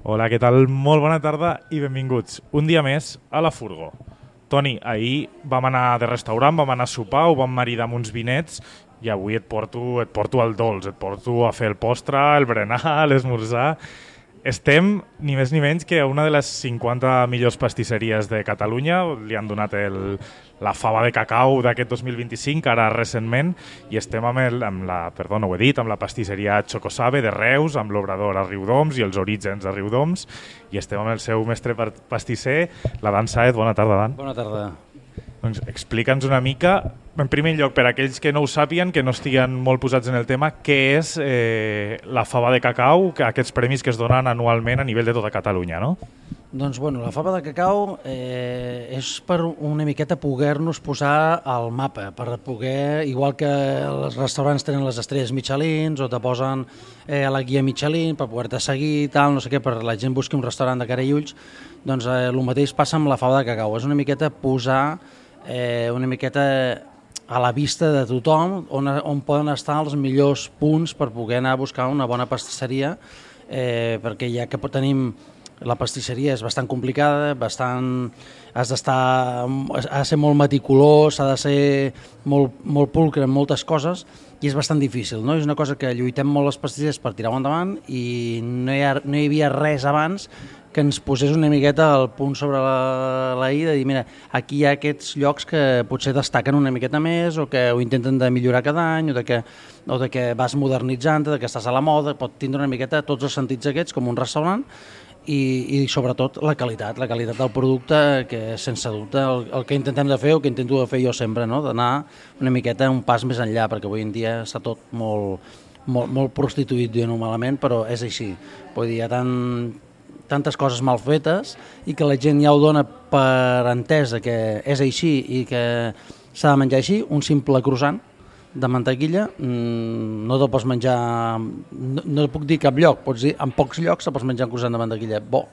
Hola, què tal? Molt bona tarda i benvinguts un dia més a La Furgo. Toni, ahir vam anar de restaurant, vam anar a sopar, ho vam maridar amb uns vinets i avui et porto el dolç, et porto a fer el postre, el berenar, l'esmorzar. Estem ni més ni menys que a una de les 50 millors pastisseries de Catalunya. Li han donat la fava de cacau d'aquest 2025, ara recentment, i estem amb la pastisseria Chocosabe de Reus, amb l'obrador a Riudoms i els orígens a Riudoms, i estem amb el seu mestre pastisser, l'Adán Sáez. Bona tarda, Adán. Bona tarda. Doncs explica'ns una mica, en primer lloc, per a aquells que no ho sàpien, que no estiguen molt posats en el tema, què és la fava de cacau, aquests premis que es donen anualment a nivell de tota Catalunya, no? Doncs, la fava de cacau és per una miqueta poder-nos posar al mapa, per poder, igual que els restaurants tenen les estrelles Michelin o te posen la guia Michelin per poder-te seguir, tal, no sé què, per la gent busqui un restaurant de cara i ulls, doncs el mateix passa amb la fava de cacau, és una miqueta posar una miqueta a la vista de tothom on poden estar els millors punts per poder anar a buscar una bona pastisseria, perquè ja que tenim la pastisseria és bastant complicada, ha de ser molt meticulós, ha de ser molt pulcre en moltes coses i és bastant difícil, no? És una cosa que lluitem molt les pastissers per tirar-ho endavant i no hi havia res abans que ens posés una miqueta al punt sobre la i de dir, mira, aquí hi ha aquests llocs que potser destaquen una miqueta més o que ho intenten de millorar cada any o de que vas modernitzant-te, de que estàs a la moda, pot tindre una miqueta tots els sentits aquests com un restaurant i sobretot la qualitat del producte, que sense dubte el que intentem de fer o que intento de fer jo sempre, no? D'anar una miqueta un pas més enllà, perquè avui en dia està tot molt prostituït, dient-ho malament, però és així. Vull dir, hi ha tantes coses mal fetes i que la gent ja ho dona per entès que és així i que s'ha de menjar així. Un simple croissant de mantequilla no te'l pots menjar, no puc dir cap lloc, pots dir en pocs llocs te pots menjar un croissant de mantequilla bo.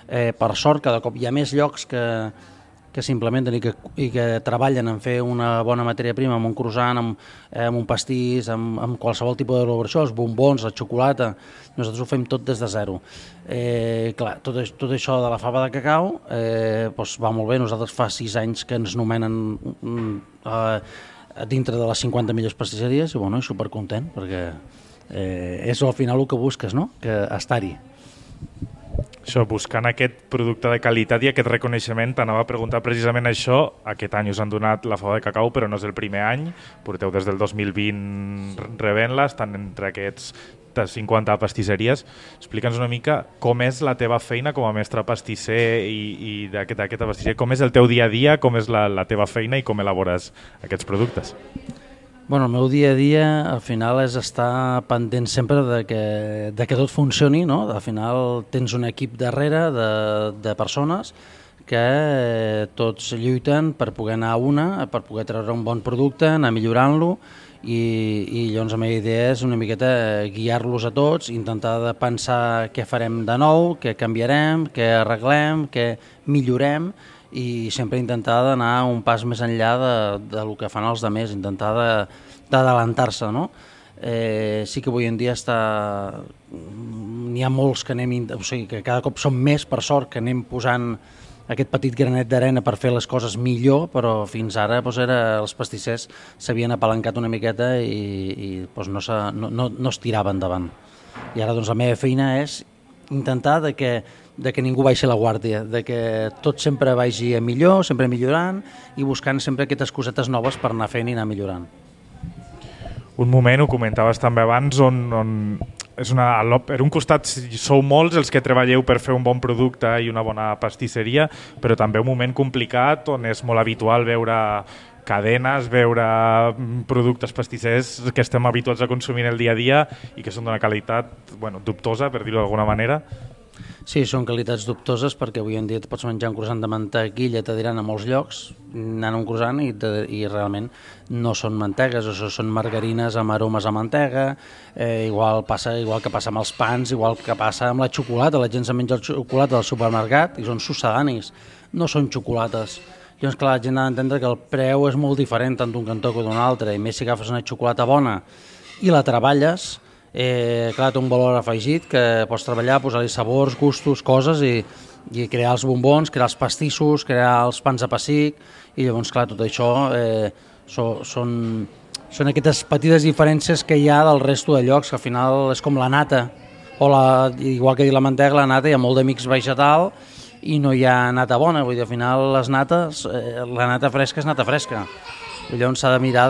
Per sort cada cop hi ha més llocs que s'implementen i que treballen en fer una bona matèria prima amb un croissant, amb un pastís, amb qualsevol tipus d'elaboració, els bombons, la xocolata. Nosaltres ho fem tot des de zero. Clar, tot això de la fava de cacau va molt bé. Nosaltres fa 6 anys que ens nomenen dintre de les 50 millors pastisseries i supercontent, perquè és al final el que busques, no? Que estar-hi. Això, buscant aquest producte de qualitat i aquest reconeixement, t'anava a preguntar precisament això. Aquest any us han donat la fava de cacau, però no és el primer any. Porteu des del 2020 rebent-la, estan entre aquests 50 pastisseries. Explica'ns una mica com és la teva feina com a mestre pastisser i d'aquesta pastisseria. Com és el teu dia a dia, com és la teva feina i com elabores aquests productes? El meu dia a dia al final és estar pendent sempre de que tot funcioni, no? Al final tens un equip darrere de persones que tots lluiten per poder anar a una, per poder treure un bon producte, anar millorant-lo i llavors la meva idea és una miqueta guiar-los a tots, intentar de pensar què farem de nou, què canviarem, què arreglem, què millorem i sempre intentar d'anar un pas més enllà del que fan els altres, intentar d'adelantar-se, no? Sí que avui en dia n'hi ha molts que que cada cop som més, per sort, que anem posant aquest petit granet d'arena per fer les coses millor, però fins ara els pastissers s'havien apalancat una miqueta i no es tirava endavant. I ara la meva feina és intentar de que ningú baixi la guàrdia, de que tot sempre vagi a millor, sempre millorant i buscant sempre aquestes cosetes noves per anar fent i anar millorant. Un moment, ho comentaves també abans, on per un costat sou molts els que treballeu per fer un bon producte i una bona pastisseria, però també un moment complicat on és molt habitual veure cadenes, veure productes pastissers que estem habituats a consumir el dia a dia i que són d'una qualitat dubtosa, per dir-ho d'alguna manera. Sí, són qualitats dubtoses perquè avui en dia et pots menjar un croissant de mantequilla, te diran a molts llocs, anant a un croissant i realment no són mantegues, o són margarines amb aromes a mantega, igual que passa amb els pans, igual que passa amb la xocolata, la gent se menja el xocolata del supermercat i són succedanis, no són xocolates. Llavors, clar, la gent ha d'entendre que el preu és molt diferent tant d'un cantó que d'un altre, i més si agafes una xocolata bona i la treballes, Clar, té un valor afegit que pots treballar, posar-hi sabors, gustos, coses i crear els bombons, crear els pastissos, crear els pans de pessic i llavors, clar, tot això són aquestes petites diferències que hi ha del resto de llocs, que al final és com la nata, igual que dir la mantega, la nata, hi ha molt de mix vegetal i no hi ha nata bona, vull dir, al final les nates, la nata fresca és nata fresca. I llavors s'ha de mirar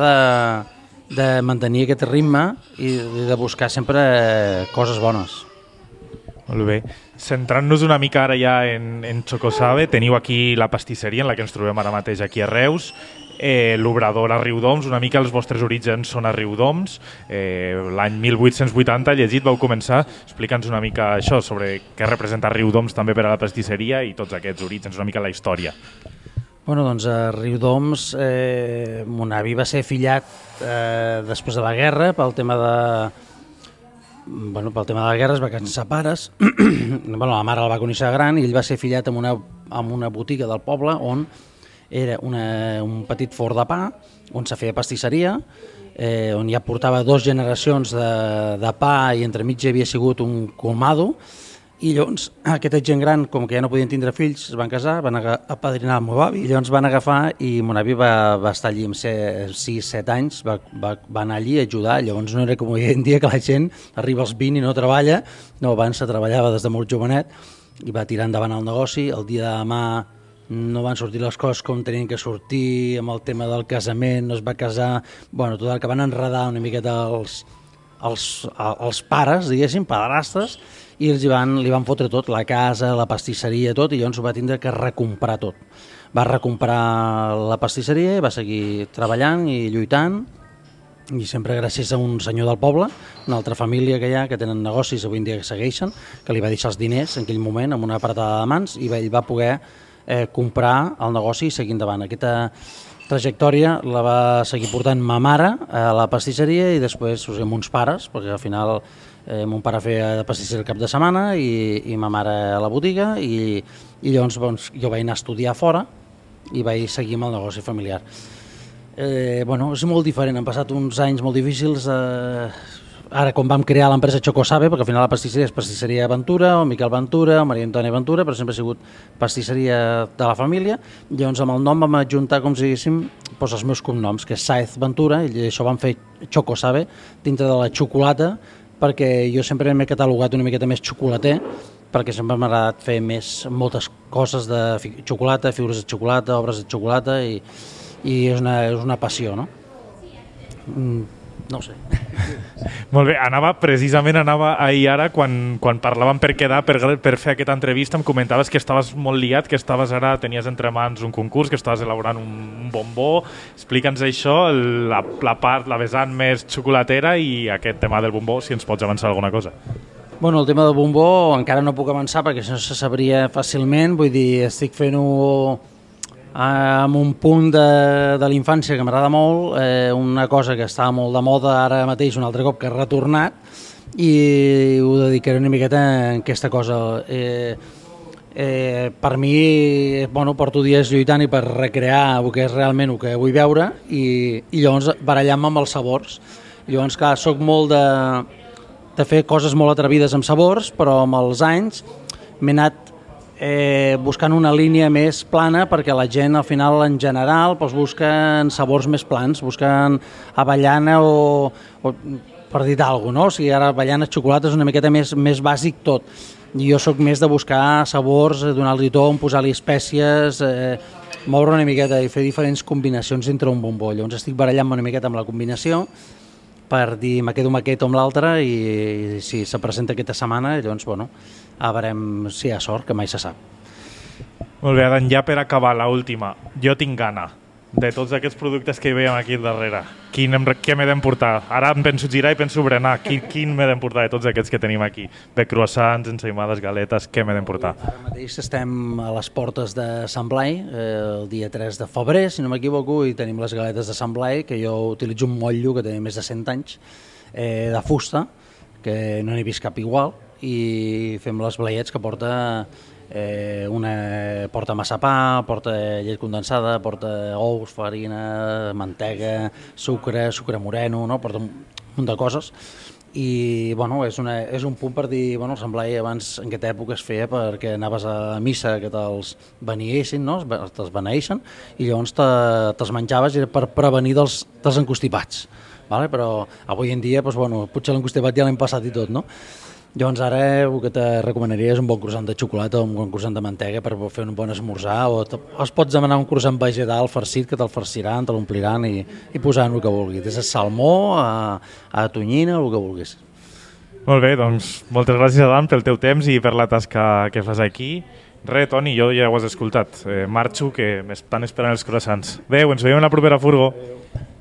de mantenir aquest ritme i de buscar sempre coses bones. Molt bé. Centrant-nos una mica ara ja en Chocosabe, teniu aquí la pastisseria en la que ens trobem ara mateix aquí a Reus, l'obrador a Riudoms, una mica els vostres orígens són a Riudoms, l'any 1880, llegit, vau començar, explica'ns una mica això, sobre què representa Riudoms també per a la pastisseria i tots aquests orígens, una mica la història. Bueno, doncs a Riudoms mon avi va ser fillat després de la guerra pel tema de la guerra, es va cansar pares. La mare el va conèixer gran i ell va ser fillat en una botiga del poble on era un petit forn de pa on se feia pastisseria, on ja portava 2 generacions de pa i entremig hi havia sigut un colmado. I llavors aquesta gent gran, com que ja no podien tindre fills, es van casar, van apadrinar el meu avi, i llavors van agafar i mon avi va estar allí amb 6-7 anys, va anar allí a ajudar. Llavors no era com avui en dia que la gent arriba als 20 i no treballa, no, abans se treballava des de molt jovenet i va tirar endavant el negoci. El dia de demà no van sortir les coses com tenien que sortir, amb el tema del casament, no es va casar, bueno, tot el que van enredar una miqueta els pares, diguéssim, padrastres, i li van fotre tot, la casa, la pastisseria, tot, i llavors ho va tindre que recomprar tot. Va recomprar la pastisseria i va seguir treballant i lluitant, i sempre gràcies a un senyor del poble, una altra família que hi ha, que tenen negocis avui en dia que segueixen, que li va deixar els diners en aquell moment amb una apretada de mans i ell va poder comprar el negoci i seguir endavant. Aquesta trajectòria la va seguir portant ma mare a la pastisseria i després amb uns pares, perquè al final mon pare feia de pastisseria el cap de setmana i ma mare a la botiga i llavors jo vaig anar a estudiar fora i vaig seguir amb el negoci familiar. És molt diferent, han passat uns anys molt difícils ara quan vam crear l'empresa Chocosabe, perquè al final la pastisseria és pastisseria Ventura, o Miquel Ventura, o Maria Antònia Ventura, però sempre ha sigut pastisseria de la família. Llavors amb el nom vam adjuntar, com si diguéssim, els meus cognoms, que és Sáez Ventura, i això vam fer Chocosabe dintre de la xocolata, perquè jo sempre m'he catalogat una miqueta més xocolater, perquè sempre m'ha agradat fer moltes coses de xocolata, figures de xocolata, obres de xocolata, i és una passió, no? No ho sé. Molt bé, precisament anava ahir ara, quan parlàvem per quedar, per fer aquesta entrevista, em comentaves que estaves molt liat, que tenies entre mans un concurs, que estaves elaborant un bombó. Explica'ns això, la vessant més xocolatera i aquest tema del bombó, si ens pots avançar alguna cosa. Bueno, el tema del bombó encara no puc avançar perquè això se sabria fàcilment, vull dir, estic fent-ho amb un punt de la infància que m'agrada molt, una cosa que estava molt de moda ara mateix un altre cop que ha retornat i ho dedicaré una miqueta a aquesta cosa. Per mi, porto dies lluitant i per recrear el que és realment el que vull veure i llavors barallant-me amb els sabors. Llavors, clar, soc molt de fer coses molt atrevides amb sabors, però amb els anys m'he anat buscant una línia més plana perquè la gent al final en general busquen sabors més plans, busquen avellana o per dir alguna cosa, no? O sigui, ara avellana, xocolata és una miqueta més bàsic tot. I jo sóc més de buscar sabors, donar-li ton, posar-li espècies, moure una miqueta i fer diferents combinacions entre un bombó. Llavors estic barallant-me una miqueta amb la combinació per dir me quedo amb aquest o amb l'altre i si se presenta aquesta setmana, llavors, a veurem si hi ha sort, que mai se sap. Molt bé, Adam, ja per acabar, l'última. Jo tinc gana de tots aquests productes que hi veiem aquí darrere. Què m'he d'emportar? Ara em penso girar i penso berenar. Quin m'he d'emportar de tots aquests que tenim aquí? De croissants, ensaïmades, galetes, què m'he d'emportar? Ara mateix estem a les portes de Sant Blai, el dia 3 de febrer, si no m'equivoco, i tenim les galetes de Sant Blai, que jo utilitzo un motllo que té més de 100 anys, de fusta, que no n'he vist cap igual, i fem les blaiets que porta porta massapà, porta llet condensada, porta ous, farina, mantega, sucre moreno, no? Porta un munt de coses i bueno, és un punt per dir, bueno, el semblai abans en aquesta època es feia perquè anaves a missa que te'ls beniessin, no? Te'ls beneixen, i llavors te'ls menjaves i era per prevenir dels encostipats, vale? Però avui en dia doncs, bueno, potser l'encostipat ja l'hem passat i tot, no? Llavors ara el que te recomanaria és un bon croissant de xocolata o un bon croissant de mantega per fer un bon esmorzar, o es pots demanar un croissant vegetal farcit que te'l farciran, te l'ompliran i posaran el que vulguis, des de salmó a tonyina, el que vulguis. Molt bé, doncs moltes gràcies, Adam, pel teu temps i per la tasca que fas aquí. Re, Toni, jo ja ho has escoltat. Marxo, que m'estan esperant els croissants. Adéu, ens veiem a la propera furgo. Adéu.